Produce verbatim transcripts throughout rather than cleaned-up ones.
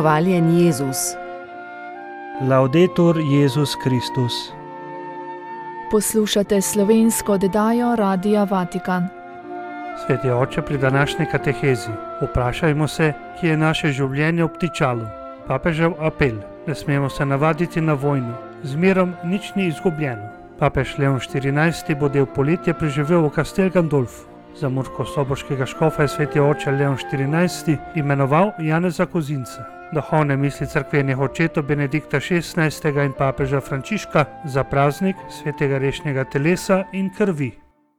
Hvaljen Jezus. Laudetur Jezus Kristus. Poslušate slovensko oddajo Radia Vatikan. Sveti oče, pri današnji katehezi vprašajmo se, kje je naše življenje obtičalo. Papežev apel: ne smemo se navaditi na vojno, z mirom nič ni izgubljeno. Papež Leon štirinajsti bo del poletja preživel v Castel Gandolfu. Za murskosoboškega škofa je sveti oče Leon štirinajsti imenoval Janeza Kozinca, duhovne misli cerkvenih očetov Benedikta šestnajstega in papeža Frančiška za praznik svetega rešnjega telesa in krvi.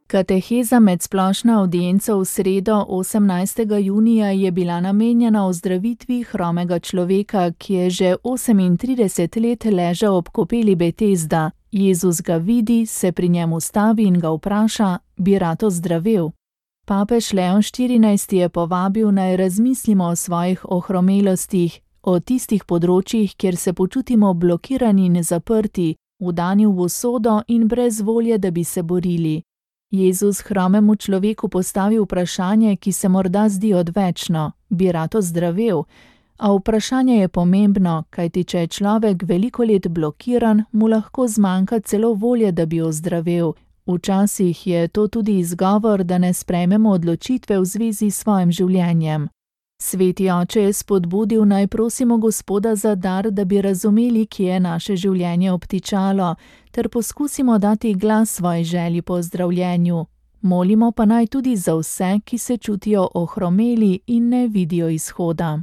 Kateheza med splošno avdienco v sredo osemnajstega junija je bila namenjena ozdravitvi hromega človeka, ki je že osemintrideset let ležal ob kopeli Betesda. Jezus ga vidi, se pri njem ustavi in ga vpraša: bi rad ozdravel? Papež Leon štirinajsti je povabil, naj razmislimo o svojih ohromelostih, o tistih področjih, kjer se počutimo blokirani in zaprti, vdani v usodo in brez volje, da bi se borili. Jezus hromemu človeku postavi vprašanje, ki se morda zdi odvečno: bi rad ozdravel? A vprašanje je pomembno, kajti če je človek veliko let blokiran, mu lahko zmanjka celo volje, da bi ozdravel. Včasih je to tudi izgovor, da ne sprejmemo odločitve v zvezi s svojim življenjem. Sveti oče je spodbudil, naj prosimo Gospoda za dar, da bi razumeli, kje je naše življenje obtičalo, ter poskusimo dati glas svoji želji po zdravljenju. Molimo pa naj tudi za vse, ki se čutijo ohromeli in ne vidijo izhoda.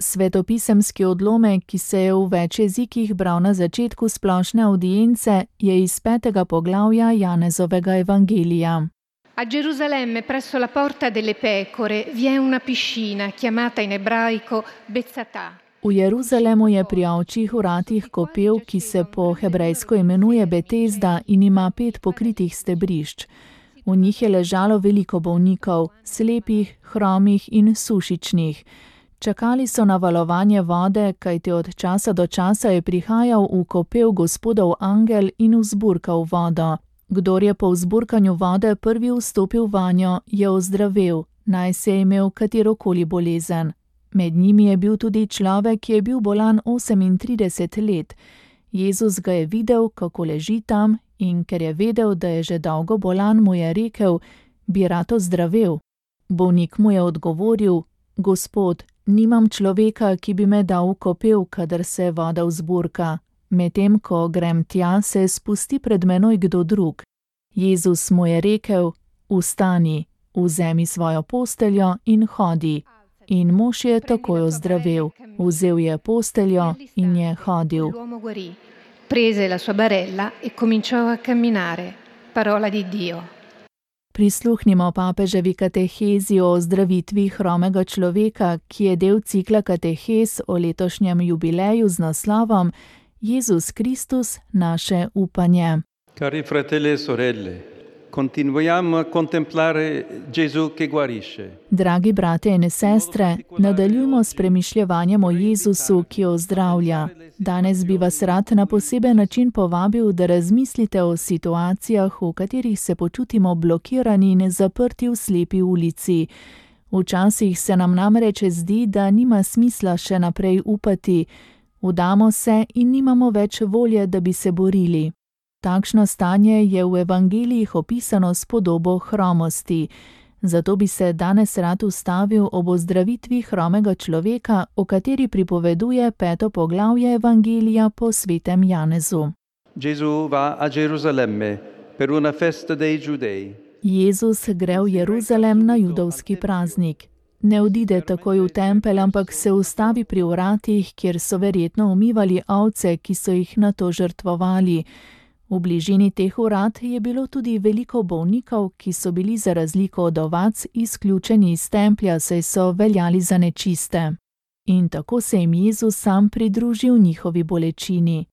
Svetopisemski odlomek, ki se je v več jezikih bral na začetku splošne avdience, je iz petega poglavja Janezovega evangelija. A Gerusalemme, presso la porta delle pecore, vi è una piscina chiamata in ebraico Betzatà. V Jeruzalemu je pri ovčjih vratih kopel, ki se po hebrejsko imenuje Betesda in ima pet pokritih stebrišč. V njih je ležalo veliko bolnikov, slepih, hromih in sušičnih. Čakali so na valovanje vode, kajti od časa do časa je prihajal v kopel Gospodov angel in vzburkal vodo. Kdor je po vzburkanju vode prvi vstopil vanjo, je ozdravel, naj se je imel katerokoli bolezen. Med njimi je bil tudi človek, ki je bil bolan osemintrideset let. Jezus ga je videl, kako leži tam, in ker je vedel, da je že dolgo bolan, mu je rekel: bi rad ozdravel? Bolnik mu je odgovoril: Gospod, nimam človeka, ki bi me dal v kopel, kadar se voda vzburka. Medtem ko grem tja, se spusti pred menoj kdo drug. Jezus mu je rekel: vstani, vzemi svojo posteljo in hodi. In mož je takoj ozdravel. Vzel je posteljo in je hodil. Prese la sua barella e cominciò a camminare. Parola di Dio. Prisluhnimo papeževi katehezi o ozdravitvi hromega človeka, ki je del cikla katehez o letošnjem jubileju z naslovom Jezus Kristus, naše upanje. Cari fratelli e sorelle, continuiamo a contemplare Gesù che guarisce. Dragi brate in sestre, nadaljujmo s premišljevanjem o Jezusu, ki ozdravlja. Danes bi vas rad na poseben način povabil, da razmislite o situacijah, v katerih se počutimo blokirani in zaprti v slepi ulici. Včasih se nam namreč zdi, da nima smisla še naprej upati. Vdamo se in nimamo več volje, da bi se borili. Takšno stanje je v evangelijih opisano s podobo hromosti. Zato bi se danes rad ustavil ob ozdravitvi hromega človeka, o kateri pripoveduje peto poglavje evangelija po svetem Janezu. Gesù va a Gerusalemme per una festa dei Giudei. Jezus gre v Jeruzalem na judovski praznik. Ne odide takoj v tempelj, ampak se ustavi pri vratih, kjer so verjetno umivali ovce, ki so jih nato žrtvovali. V bližini teh vrat je bilo tudi veliko bolnikov, ki so bili za razliko od ovac izključeni iz templja, saj so veljali za nečiste. In tako se jim Jezus sam pridružil njihovi bolečini.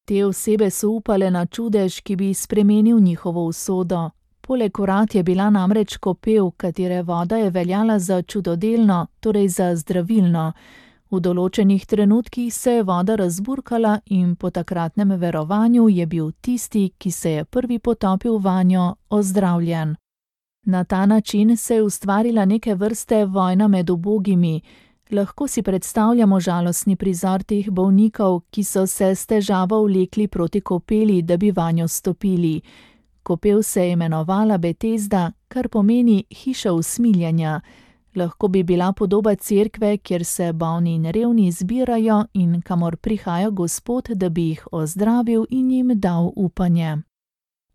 Te osebe so upale na čudež, ki bi spremenil njihovo usodo. Poleg vrat je bila namreč kopel, katere voda je veljala za čudodelno, torej za zdravilno. V določenih trenutkih se je voda razburkala in po takratnem verovanju je bil tisti, ki se je prvi potopil vanjo, ozdravljen. Na ta način se je ustvarila neke vrste vojna med ubogimi. Lahko si predstavljamo žalostni prizor teh bolnikov, ki so se s težavo vlekli proti kopeli, da bi vanjo stopili. Kopel se je imenovala Betesda, kar pomeni hiša usmiljenja. Lahko bi bila podoba cerkve, kjer se bolni in revni zbirajo in kamor prihaja Gospod, da bi jih ozdravil in jim dal upanje.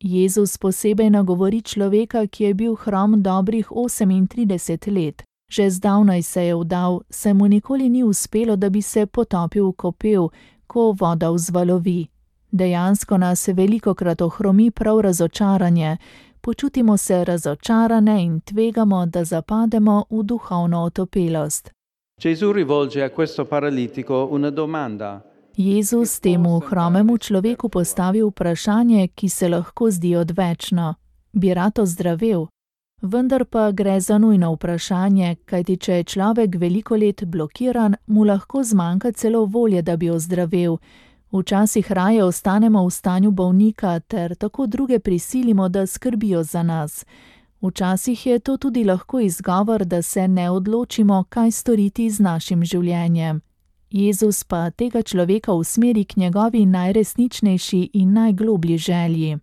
Jezus posebej nagovori človeka, ki je bil hrom dobrih osemintrideset let. Že zdavnaj se je vdal, saj mu nikoli ni uspelo, da bi se potopil v kopel, ko voda vzvalovi. Dejansko nas velikokrat ohromi prav razočaranje. Počutimo se razočarane in tvegamo, da zapademo v duhovno otopelost. Gesù rivolge a questo paralitico una domanda. Jezus temu hromemu človeku postavi vprašanje, ki se lahko zdi odvečno. Bi rad ozdravel? Vendar pa gre za nujno vprašanje, kajti če je človek veliko let blokiran, mu lahko zmanjka celo volje, da bi ozdravel. Včasih raje ostanemo v stanju bolnika ter tako druge prisilimo, da skrbijo za nas. Včasih je to tudi lahko izgovor, da se ne odločimo, kaj storiti z našim življenjem. Jezus pa tega človeka usmeri k njegovi najresničnejši in najgloblji želji.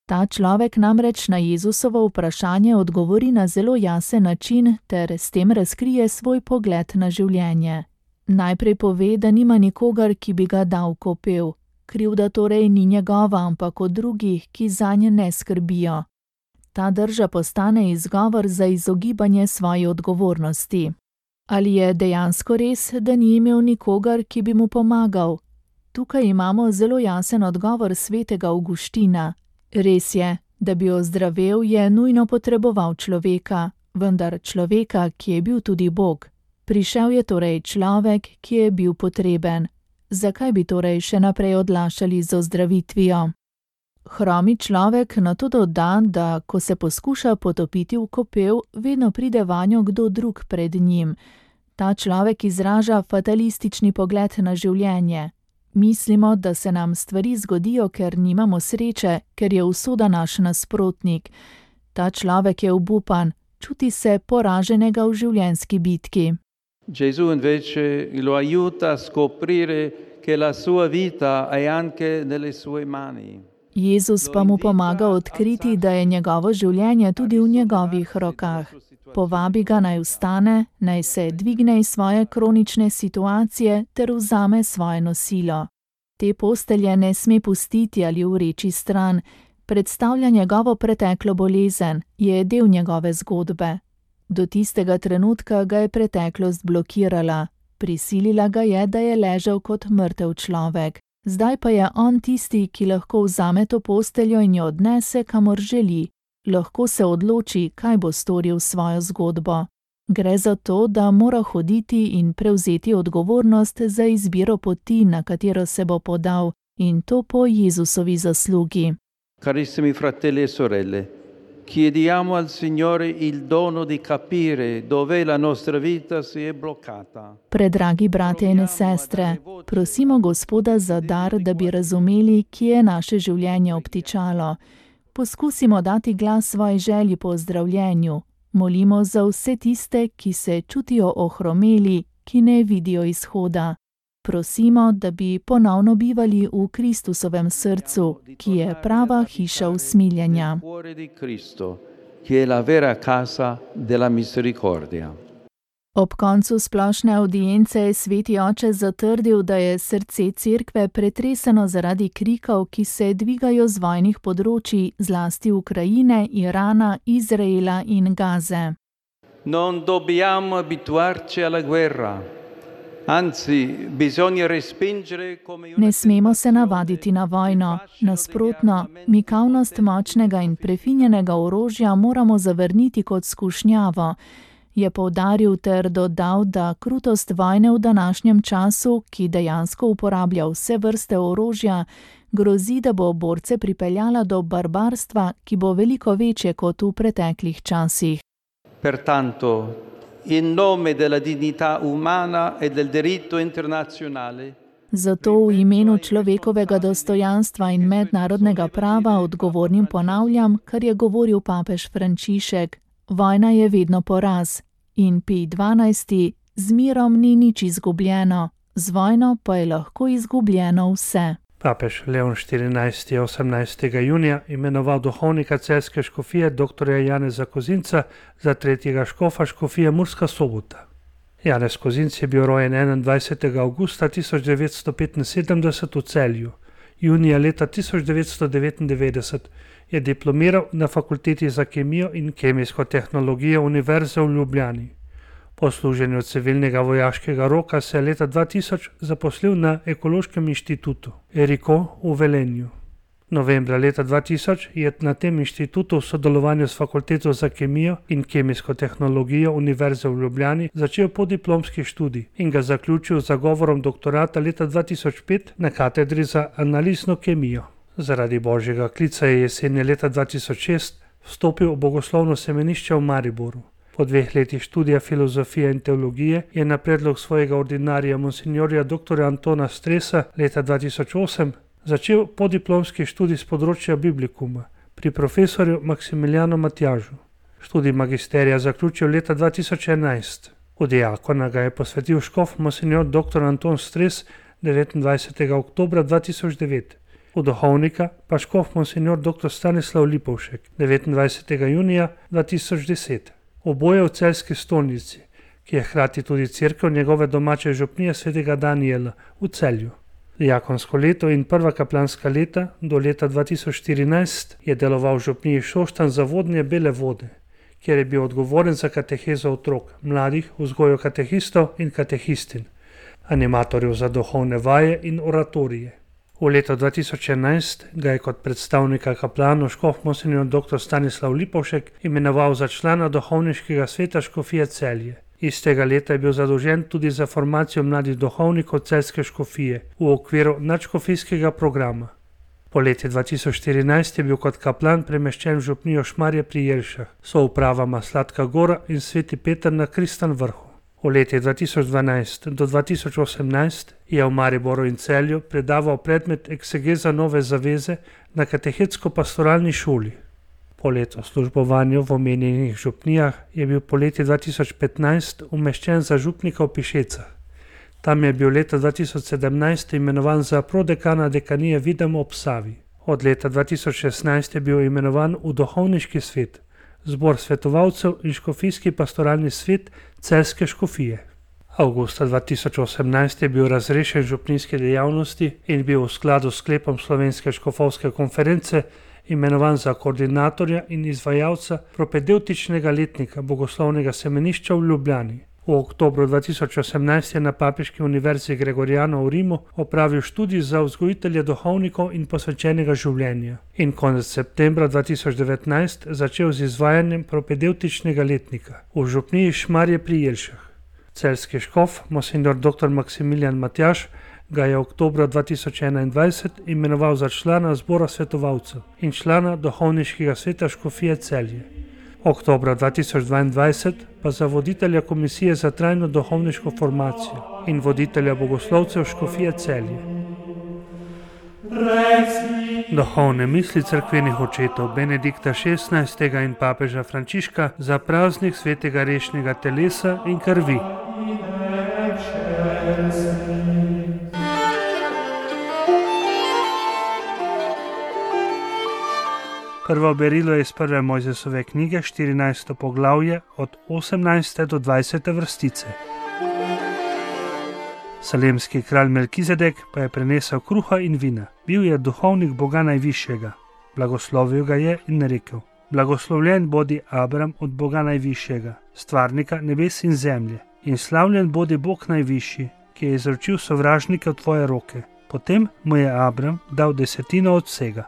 Ta človek namreč na Jezusovo vprašanje odgovori na zelo jasen način ter s tem razkrije svoj pogled na življenje. Najprej pove, da nima nikogar, ki bi ga dal v kopel. Krivda torej ni njegova, ampak od drugih, ki zanje ne skrbijo. Ta drža postane izgovor za izogibanje svoje odgovornosti. Ali je dejansko res, da ni imel nikogar, ki bi mu pomagal? Tukaj imamo zelo jasen odgovor svetega Avguština. Res je, da bi ozdravel, je nujno potreboval človeka, vendar človeka, ki je bil tudi Bog. Prišel je torej človek, ki je bil potreben. Zakaj bi torej še naprej odlašali z ozdravitvijo? Hromi človek nato doda, da ko se poskuša potopiti v kopel, vedno pride vanjo kdo drug pred njim. Ta človek izraža fatalistični pogled na življenje. Mislimo, da se nam stvari zgodijo, ker nimamo sreče, ker je usoda naš nasprotnik. Ta človek je obupan, čuti se poraženega v življenjski bitki. Gesù invece lo aiuta a scoprire che la sua vita è anche nelle sue mani. Jezus pa mu pomaga odkriti, da je njegovo življenje tudi v njegovih rokah. Povabi ga naj vstane, naj se dvigne iz svoje kronične situacije ter vzame svoje nosilo. Te postelje ne sme pustiti ali vreči stran, predstavlja njegovo preteklo bolezen, je del njegove zgodbe. Do tistega trenutka ga je preteklost blokirala, prisilila ga je, da je ležal kot mrtev človek. Zdaj pa je on tisti, ki lahko vzame to posteljo in jo odnese, kamor želi. Lahko se odloči, kaj bo storil s svojo zgodbo. Gre za to, da mora hoditi in prevzeti odgovornost za izbiro poti, na katero se bo podal, in to po Jezusovi zaslugi. Carissimi fratelli e sorelle, chiediamo al Signore il dono di capire dove la nostra vita si è bloccata. Predragi brate in sestre, prosimo Gospoda za dar, da bi razumeli, kje je naše življenje obtičalo. Poskusimo dati glas svoji želji po ozdravljenju. Molimo za vse tiste, ki se čutijo ohromeli, ki ne vidijo izhoda. Prosimo, da bi ponovno bivali v Kristusovem srcu, ki je prava hiša usmiljenja. Ob koncu splošne avdience je sveti oče zatrdil, da je srce cerkve pretreseno zaradi krikov, ki se dvigajo z vojnih področij, zlasti Ukrajine, Irana, Izraela in Gaze. Non dobbiamo abituarci alla guerra. Anzi, bisogna respingere come una... Ne smemo se navaditi na vojno. Nasprotno, mikavnost močnega in prefinjenega orožja moramo zavrniti kot skušnjavo. Je poudaril ter dodal, da krutost vojne v današnjem času, ki dejansko uporablja vse vrste orožja, grozi, da bo borce pripeljala do barbarstva, ki bo veliko večje kot v preteklih časih. Pertanto, in nome della dignità umana e del diritto internazionale, zato v imenu človekovega dostojanstva in mednarodnega prava odgovornim ponavljam, kar je govoril papež Frančišek. Vojna je vedno poraz in Pij dvanajsti Z mirom ni nič izgubljeno, z vojno pa je lahko izgubljeno vse. Papež Leon štirinajsti je osemnajstega junija imenoval duhovnika celjske škofije dr. Janeza Kozinca za tretjega škofa škofije Murska Sobota. Janez Kozinc je bil rojen enaindvajsetega avgusta tisoč devetsto petinsedemdeset v Celju. Junija leta tisoč devetsto devetindevetdeset je diplomiral na Fakulteti za kemijo in kemijsko tehnologijo Univerze v Ljubljani. Po služenju civilnega vojaškega roka se je leta dva tisoč zaposlil na Ekološkem inštitutu Eriko v Velenju. Novembra leta dva tisoč je na tem inštitutu v sodelovanju s Fakulteto za kemijo in kemijsko tehnologijo Univerze v Ljubljani začel podiplomski študij in ga zaključil z zagovorom doktorata leta dva tisoč pet na katedri za analizno kemijo. Zaradi božjega klica je jeseni leta dva tisoč šest vstopil v bogoslovno semenišče v Mariboru. Po dveh letih študija filozofije in teologije je na predlog svojega ordinarija monsinjorja dr. Antona Stresa leta dva tisoč osem začel podiplomski študij z področja biblikuma pri profesorju Maksimiljanu Matjažu. Študij magisterija zaključil leta dva tisoč enajst. V diakona ga je posvetil škof monsinjor dr. Anton Stres devetindvajsetega oktobra dva tisoč devet. V duhovnika pa škof monsinjor dr. Stanislav Lipovšek devetindvajsetega junija dva tisoč deset. Oboje v celjski stolnici, ki je hkrati tudi cerkev njegove domače župnije svetega Danijela v Celju. Diakonsko leto in prva kaplanska leta do leta dva tisoč štirinajst je deloval v župniji Šoštanj Zavodnje Bele Vode, kjer je bil odgovoren za katehezo otrok, mladih, vzgojo katehistov in katehistin, animatorjev za duhovne vaje in oratorije. V letu dva tisoč enajst ga je kot predstavnika kaplanov škof monsinjor dr. Stanislav Lipovšek imenoval za člana duhovniškega sveta škofije Celje. Istega leta je bil zadolžen tudi za formacijo mladih duhovnikov celjske škofije v okviru nadškofijskega programa. Po leti dva tisoč štirinajst je bil kot kaplan premeščen v župnijo Šmarje pri Jelšah, soupravama Sladka Gora in Sveti Peter na Kristan Vrhu. V letih dva tisoč dvanajst do dva tisoč osemnajst je v Mariboru in Celju predaval predmet eksegeza Nove zaveze na katehetsko-pastoralni šoli. Po letu službovanju v omenjenih župnijah je bil po leti dva tisoč petnajst umeščen za župnika v Pišecah. Tam je bil leta dva tisoč sedemnajst imenovan za prodekana dekanije Videm ob Savi. Od leta dva tisoč šestnajst je bil imenovan v duhovniški svet, zbor svetovalcev in škofijski pastoralni svet celjske škofije. Avgusta dva tisoč osemnajst je bil razrešen župnijske dejavnosti in bil v skladu s sklepom Slovenske škofovske konference imenovan za koordinatorja in izvajalca propedevtičnega letnika bogoslovnega semenišča v Ljubljani. V oktobru dva tisoč osemnajst je na Papeški univerzi Gregoriano v Rimu opravil študij za vzgojitelje duhovnikov in posvečenega življenja in konec septembra dva tisoč devetnajst začel z izvajanjem propedevtičnega letnika v župniji Šmarje pri Jelšah. Celjski škof, monsinjor dr. Maksimilijan Matjaž, ga je oktobra dva tisoč enaindvajset imenoval za člana zbora svetovalcev in člana duhovniškega sveta škofije Celje. Oktobra dva tisoč dvaindvajset pa za voditelja Komisije za trajno duhovniško formacijo in voditelja bogoslovcev škofije Celje. Duhovne misli cerkvenih očetov Benedikta šestnajstega in papeža Frančiška za praznik svetega rešnega telesa in krvi. Prvo berilo je iz prve Mojzesove knjige, štirinajsto poglavje, od osemnajste do dvajsete vrstice. Salemski kralj Melkizedek pa je prinesel kruha in vina. Bil je duhovnik Boga Najvišjega. Blagoslovil ga je in rekel: Blagoslovljen bodi Abram od Boga Najvišjega, stvarnika nebes in zemlje, in slavljen bodi Bog Najvišji, ki je izročil sovražnike v tvoje roke. Potem mu je Abram dal desetino od vsega.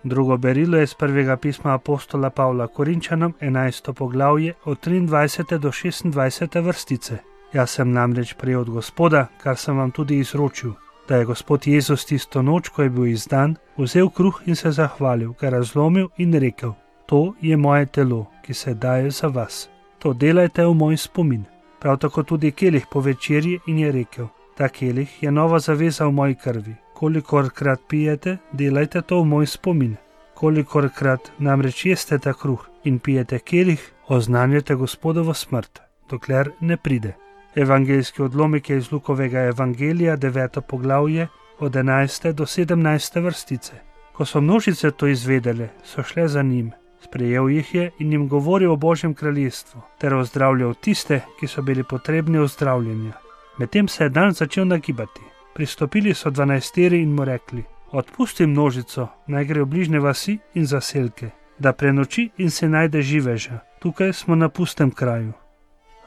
Drugo berilo je iz prvega pisma apostola Pavla Korinčanom, enajsto poglavje, od triindvajsete do šestindvajsete vrstice. Jaz sem namreč prejel od Gospoda, kar sem vam tudi izročil, da je Gospod Jezus tisto noč, ko je bil izdan, vzel kruh in se zahvalil, ga razlomil in rekel: To je moje telo, ki se daje za vas. To delajte v moj spomin. Prav tako tudi kelih po večerji in je rekel: Ta kelih je nova zaveza v moji krvi. Kolikorkrat pijete, delajte to v moj spomin. Kolikorkrat namreč jeste ta kruh in pijete kelih, oznanjate Gospodovo smrt, dokler ne pride. Evangeljski odlomek je iz Lukovega evangelija, deveto poglavje, od enajste do sedemnajste vrstice. Ko so množice to izvedele, so šle za njim. Sprejel jih je in jim govoril o Božjem kraljestvu, ter ozdravljal tiste, ki so bili potrebni ozdravljenja. Medtem se je dan začel nagibati. Pristopili so dvanajsteri in mu rekli: Odpusti množico, naj gre v bližnje vasi in zaselke, da prenoči in se najde živeža. Tukaj smo na pustem kraju.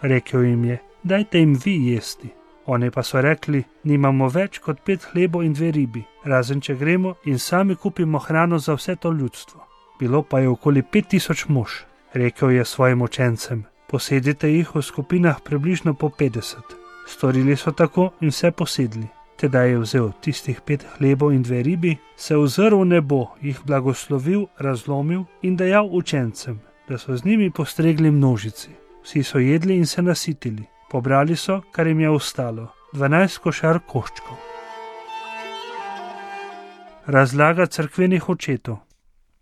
Rekel jim je: Dajte jim vi jesti. Oni pa so rekli: Nimamo več kot pet hlebov in dve ribi, razen če gremo in sami kupimo hrano za vse to ljudstvo. Bilo pa je okoli pet tisoč mož. Rekel je svojim učencem: Posedite jih v skupinah približno po petdeset. Storili so tako in vse posedli. Tedaj je vzel tistih pet hlebov in dve ribi, se ozrl v nebo, jih blagoslovil, razlomil in dajal učencem, da so z njimi postregli množici. Vsi so jedli in se nasitili. Pobrali so, kar jim je ostalo, dvanajst košar koščkov. Razlaga cerkvenih očetov.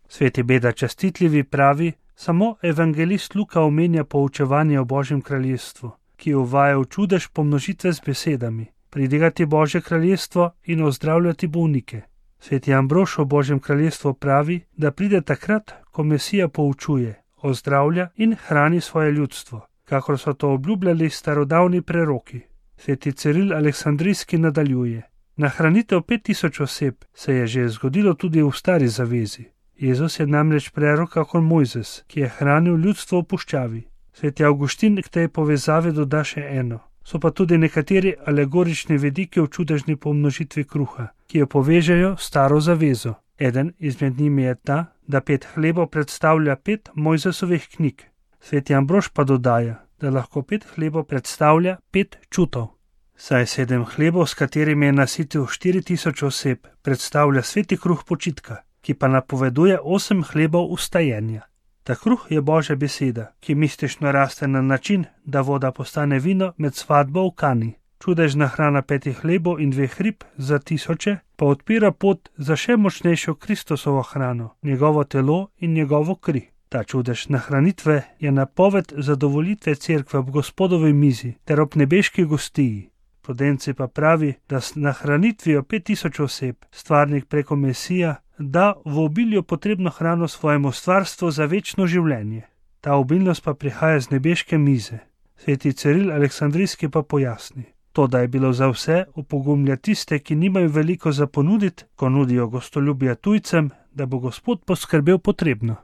Sveti Beda Častitljivi pravi: Samo evangelist Luka omenja poučevanje o Božjem kraljestvu, ki uvaja v čudež pomnožitve z besedami: Pridigati Božje kraljestvo in ozdravljati bolnike. Sveti Ambrož o Božjem kraljestvu pravi, da pride takrat, ko Mesija poučuje, ozdravlja in hrani svoje ljudstvo, kakor so to obljubljali starodavni preroki. Sveti Ciril Aleksandrijski nadaljuje: Nahranitev pet tisoč oseb se je že zgodilo tudi v stari zavezi. Jezus je namreč prerok kakor Mojzes, ki je hranil ljudstvo v puščavi. Sveti Avguštin k tej povezavi doda še eno. So pa tudi nekateri alegorični vidiki v čudežni pomnožitvi kruha, ki jo povežejo staro zavezo. Eden izmed njimi je ta, da pet hlebov predstavlja pet Mojzesovih knjig. Sveti Ambrož pa dodaja, da lahko pet hlebov predstavlja pet čutov. Saj sedem hlebov, s katerimi je nasitil štiri tisoč oseb, predstavlja sveti kruh počitka, ki pa napoveduje osem hlebov ustajenja. Ta kruh je Božja beseda, ki mistično raste na način, da voda postane vino med svatbo v Kani. Čudežna hrana petih hlebov in dveh rib za tisoče pa odpira pot za še močnejšo Kristusovo hrano, njegovo telo in njegovo kri. Ta čudež nahranitve je napoved zadovoljitve cerkve ob Gospodovi mizi ter ob nebeški gostiji. Prudenci pa pravi, da s nahranitvijo pet tisoč oseb stvarnik preko Mesija da v obilju potrebno hrano svojemu stvarstvu za večno življenje. Ta obilnost pa prihaja z nebeške mize. Sveti Ciril Aleksandrijski pa pojasni: To, da je bilo za vse, opogumlja tiste, ki nimajo veliko za ponuditi, ko nudijo gostoljubje tujcem, da bo Gospod poskrbel potrebno.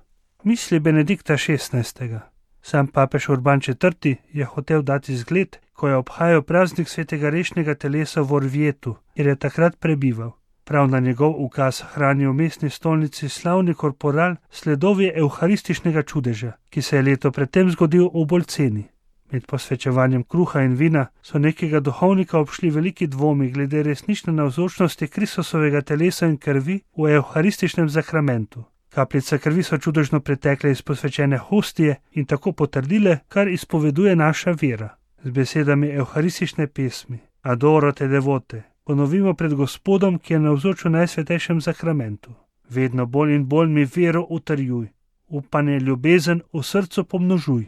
Misli Benedikta šestnajstega. Sam papež Urban četrti je hotel dati zgled, ko je obhajal praznik svetega rešnega telesa v Orvietu, kjer je takrat prebival. Prav na njegov ukaz hrani v mestni stolnici slavni korporal sledovi evharističnega čudeža, ki se je leto predtem zgodil v Bolceni. Med posvečevanjem kruha in vina so nekega duhovnika obšli veliki dvomi glede resnične navzočnosti Kristusovega telesa in krvi v evharističnem zakramentu. Kapljice krvi so čudežno pretekle iz posvečene hostije in tako potrdile, kar izpoveduje naša vera. Z besedami evharistične pesmi Adoro te devote ponovimo pred Gospodom, ki je navzoč v najsvetejšem zakramentu. Vedno bolj in bolj mi vero utrjuj, upanje, ljubezen v srcu pomnožuj.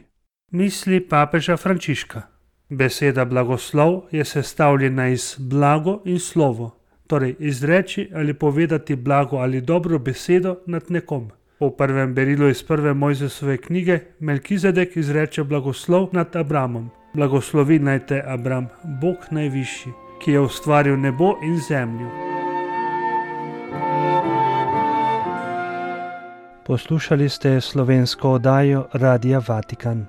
Misli papeža Frančiška. Beseda blagoslov je sestavljena iz blago in slovo, torej izreči ali povedati blago ali dobro besedo nad nekom. Po prvem berilu iz prve Mojzesove knjige Melkizedek izreče blagoslov nad Abramom. Blagoslovi naj te Abram, Bog najvišji, ki je ustvaril nebo in zemljo. Poslušali ste slovensko oddajo Radia Vatikan.